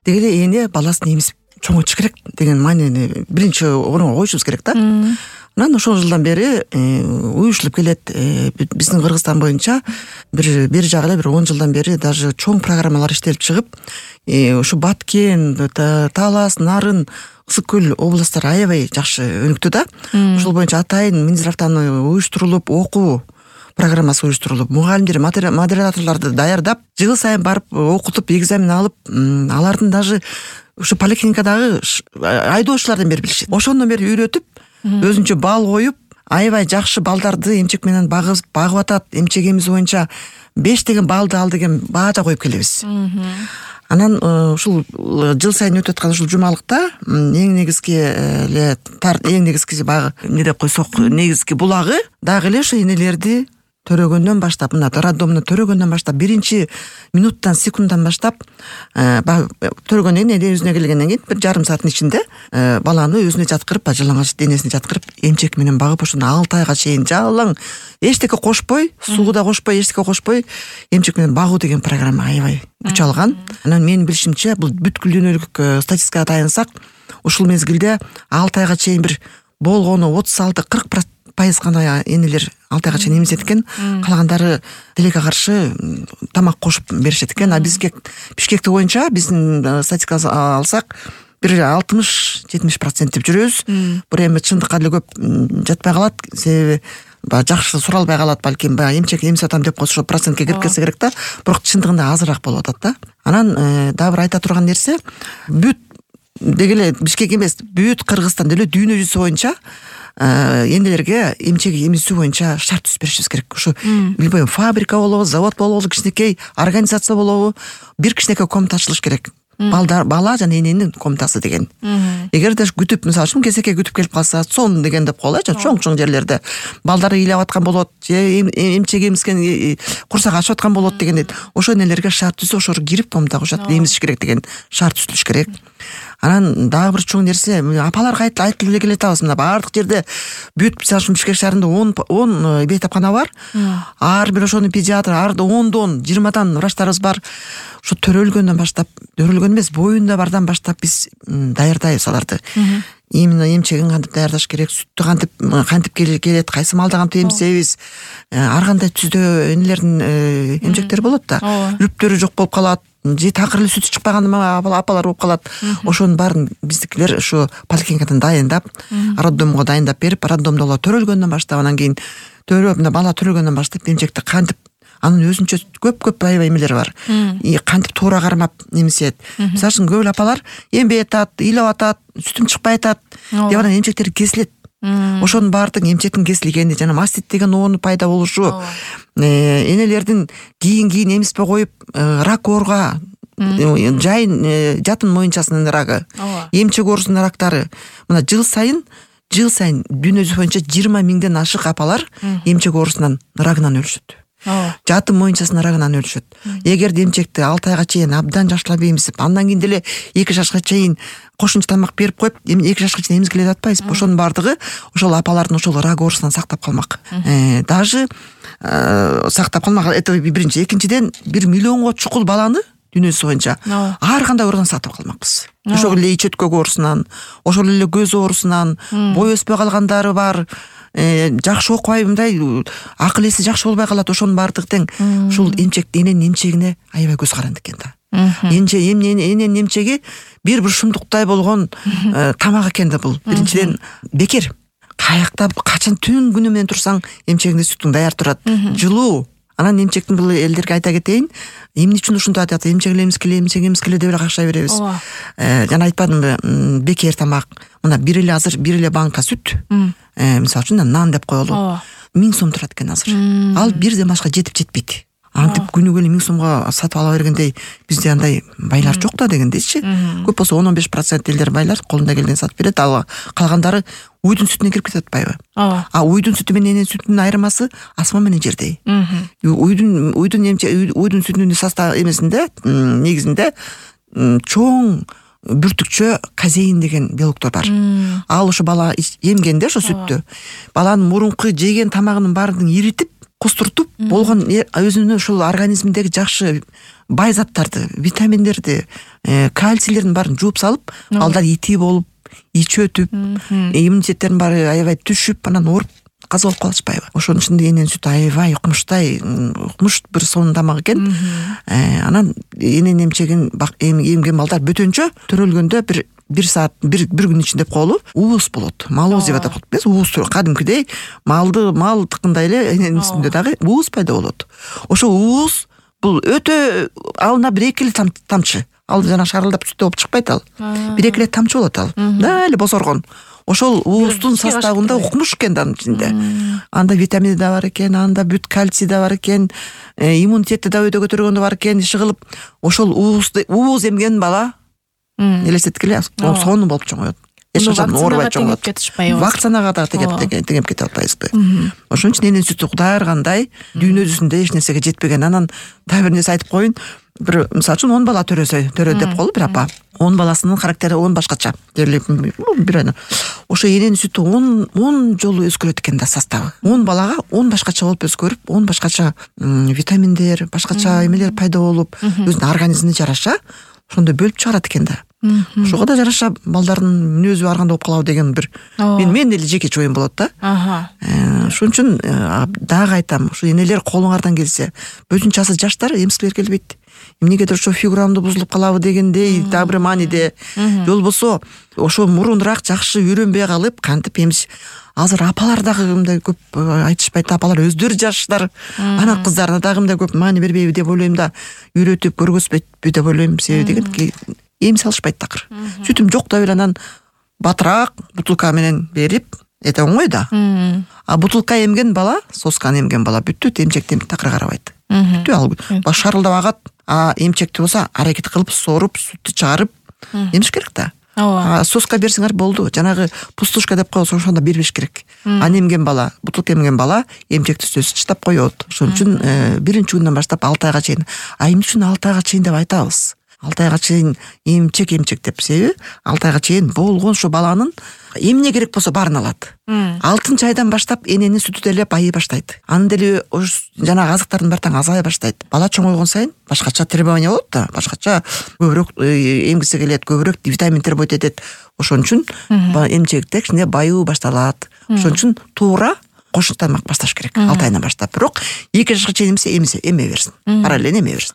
деги эле эне баласын эмизип чоңойтуш керек деген маанини биринчи орунга коюшубуз керек да. Анан ошол жылдан бери уюштулуп келет. Биздин Кыргызстан боюнча бир жагы эле бир 10 жылдан бери даже чоң программалар иштелип чыгып, ушу Баткен, Талас, Нарын, Ысык көл областтары аябай жакшы өнүктү да. Ошол боюнча атайын Минздравтан уюштурулуп, окуу программасы уюштурулуп, мугалимдер, модераторлорду даярдап, жыл сайын барып окутуп, экзамен алып, алардын даже ушу поликлиникадагы айдоочулардан бери билишет. Ошондон бери үйрөтүп, өзүнчө бал коюп, аябай жакшы балдарды эмчек менен багып атат. Эмчек эмиз боюнча 5 деген балды ал деген баада коюп келебиз. Анан ушул жыл сайын өтүп аткан ушул жумалыкта эң негизги багы эмне деп койсок, негизги булагы дагы эле ошо энелерди төрөгөндөн баштап, мына роддомду төрөгөндөн баштап, биринчи минуттан, секунддан баштап төрөгөндөн кийин өзүнө келгенден кийин бир жарым сааттын ичинде баланы өзүнө жаткырып, жалаңач денесине жаткырып, эмчек менен багып, ошону 6 айга чейин жалаң эчтеке кошпой, суу да кошпой, эчтеке кошпой эмчек менен багуу деген программа аябай күч алган. Анан менин билишимче, бул бүткүл дүйнөлүк статистикага таянсак, ушул мезгилде 6 айга чейин бир болгону 36-40% гана энелер 6 айга чейин эмизет экен. Калгандары тилекке каршы тамак кошуп беришет экен. А бизге Бишкекте боюнча биздин статистиканы алсак, бир 60-70% деп жүрөбүз. Бул эми чындыкка деле көп жатпай калат, себеби жакшы суралбай калат, балким эмчек эмизип атам деп койсо процентке кирип келсе керек да. Бирок чындыгында азыраак болуп атат да. Анан дагы бир айта турган нерсе, бүт деги эле Бишкек эмес, бүт Кыргызстан деле дүйнө жүзү боюнча энелерге эмчек эмизүү боюнча шарт түзүп беришибиз керек. Ушу билбейм, фабрика болобу, завод болобу, кичинекей организация болобу, бир кичинекей комната ачылыш керек. Бала жана эненин комнатасы деген. Эгер даже күтүп, мисалы үчүн кезекке күтүп келип калса, сон деген деп коелучу, чоң жерлерде балдары ыйлап аткан болот, же эмчек эмизген курсак ачып аткан болот дегенде, ошо энелерге шарт түзүп, ошо кирип комнатага кошот, эмизиш керек деген шарт түзүлүш керек. Анан дагы бир чоң нерсе, апаларга айтып эле келе атабыз, мына бардык жерде бүт, мисалы үчүн Бишкек шаарында 10 бейтапкана бар. Ар бир ошонун педиатр, ар 10дан 20дан врачтарыбыз бар. Ошо төрөлгөндөн баштап, төрөлгөн эмес, боюнда бардан баштап биз даярдайбыз аларды. Именно эмчегин кантип даярдаш керек, сүттү кантип келет, кайсы малда кантип эмизебиз. Ар кандай түздө энелердин эмчектери болот да. Үптөрү жок болуп калат, же такыр эле сүтү чыкпаган апалар болуп калат. Ошонун баарын биздикилер ошо поликлиникадан дайындап, роддомго дайындап берип, роддомдо алар төрөлгөндөн баштап, анан кийин мына бала төрөлгөндөн баштап эмчекти кантип, анын өзүнчө көп аябай эмелери бар. Кантип туура кармап эмизет. Мисалы үчүн көп апалар эмбей атат, ыйлап атат, сүтүм чыкпай атат деп анан эмчектери кесилет. Ошонун баардыгы эмчектин кесилгени жана мастит деген оонун пайда болушу, энелердин кийин эмизбей коюп рак оорга, жатын моюнчасынын рагы, эмчек оорусунун рактары. Мына жыл сайын дүйнө жүзү боюнча 20 миңден ашык апалар эмчек оорусунан, рагынан өлүшөт. Жатын моюнчасынын рагынан өлүшөт. Эгерде эмчекти 6 айга чейин абдан жакшылап эмизип, андан кийин деле 2 жашка чейин кошумча тамак берип коюп, 2 жашка чейин эмизгиле деп атпайбыз. Ошонун бардыгы ошол апалардын ошол рак оорусунан сактап калмак. Даже сактап калмак. Это биринчи. Экинчиден, 1 миллионго чукул баланы дүйнө жүзү боюнча ар кандай оорудан сактап калмакпыз. Ошол эле ич өткөк оорусунан, ошол эле көз оорусунан, бой өспөй калгандары бар. Жакшы окубай, мындай акыл эси жакшы болбой калат. Ошонун баардыгы тең ушул эненин эмчегине аябай көз каранды экен да. Эненин эмчеги бир шумдуктай болгон тамак экен да бул. Биринчиден бекер. Каякта качан түн күнү менен турсаң, эмчегиңде сүтүң даяр турат. Жылуу. Анан эмчектин бул элдерге айта кетейин, эмне үчүн ушундай атат, эмчек эмискеле деп эле какшай беребиз. Жана айтпадымбы, бекер тамак. Мына азыр бир эле банка сүт, мисалы үчүн нан деп коелу, 1000 сом турат экен азыр. Ал бирден башка жетпейт. Антип күнүгө эле 1000 сомго сатып ала бергендей, бизде андай байлар жок да дегендейчи. Көп болсо 10-15% элдер байлар колунда келген сатып берет, ал калгандары уйдун сүтүнө кирип кетет атпайбы? Уйдун сүтү менен эненин сүтүнүн айырмасы асман менен жердей. Уйдун сүтүнүн состав эмесинде, негизинде чоң бүртүкчө казеин деген белоктор бар. Ал ошо бала эмгенде ошо сүттү, баланын мурунку жеген тамагынын баарын иритип, костуртуп болгон өзүнүн ушул организминдеги жакшы бай заттарды, витаминдерди, кальцийлердин баарын жууп салып, балдар ити болуп, ичи өтүп, иммунитеттердин баары аябай түшүп, анан ооруп каза болуп калышпайбы? Ошонун үчүн эненин сүтү аябай укмуш бир сонун тамак экен. Анан эненин эмген балдар бөтөнчө төрөлгөндө бир саат, бир күн ичинде колу уус болот. Малоз деп атап коет. Уус кадимкидей мал тыккандай эле эненин үстүндө дагы уус пайда болот. Ошо уус бул өтө алына 1-2 эле тамчы. Ал жана шарылдап сүт болуп чыкпайт ал. 1-2 эле тамчы болот ал. Дали босоргон. Ошол уустун составында укмуш экен анын ичинде. Анда витамини да бар экен, анда бүт кальций да бар экен, иммунитетти да өйдө көтөргөн да бар экен, иши кылып, ошол уус эмген бала элестеткиле сонун болуп чоңоет. Эч качан оорубай чоңоет. Вакцинага да тегеп кете албайбызбы? Ошон үчүн эненин сүтү Кудай ыргандай дүйнө жүзүндө эч нерсеге жетпеген. Анан дагы бир нерсе айтып коеюн. Бир мисалы үчүн 10 бала төрө деп коелу бир апа. 10 баласынын характери 10 башкача. Бир ошо эненин сүтү 10 жолу өзгөрөт экен да составы. 10 балага 10 башкача болуп өзгөрүп, 10 башкача витаминдер, башкача эмелер пайда болуп, өзүнүн организмине жараша ошондой бөлүп чыгарат экен да. Ошого да жараша балдардын мүнөзү ар кандай болуп калабы деген бир мен эле жеке оюм болот да. Ошон үчүн дагы айтам, ушу энелер колуңардан келсе, бөтүнчасы жаштар эмскилер келбейт. Эмнегедир ошо фигурамды бузулуп калабы дегендей дагы бир мааниде. Же болбосо ошо мурунураак жакшы үйрөнбөй калып, кантип эмес азыр апалар дагы мындай көп айтышпайт, апалар өздөрү жаштар, ана кыздарына дагы мындай көп маани бербейби деп ойлойм да, үйрөтүп көргөзбөйтпү деп ойлойм. Себеби деген эмсе алышпайт такыр. Сүтүм жок деп эле анан батыраак бутылка менен берип, эте оңой да. А бутылка эмген бала, сосканы эмген бала бүттү, эмчекти такыр карабайт. Бүттү ал баш шарылдап агат, а эмчекти болсо аракет кылып сооруп, сүттү чыгарып эмиш керек да. Соска берсеңер болду. Жанагы пустушка деп коебуз, ошондо бербеш керек. Аны эмген бала, бутылка эмген бала эмчекти сөзсүз чыдап коет. Ошон үчүн биринчи күндөн баштап 6 айга чейин. Эмне үчүн 6 айга чейин деп айтабыз? 6 айга чейин эмчек деп. Себеби 6 айга чейин болгон ошо баланын эмне керек болсо баарын алат. 6 айдан баштап эненин сүтү деле байый баштайт. Анын деле жанагы азыктардын баары таң азая баштайт. Бала чоңойгон сайын башкача требование болот да, башкача көбүрөөк эмгиси келет, көбүрөөк витамин требовать этет. Ошон үчүн эмчекте кичине байуу башталат. Ошон үчүн туура кошумча тамак башташ керек 6 айдан баштап. Бирок 2 жашка чейин эме берсин. Параллельно эме берсин.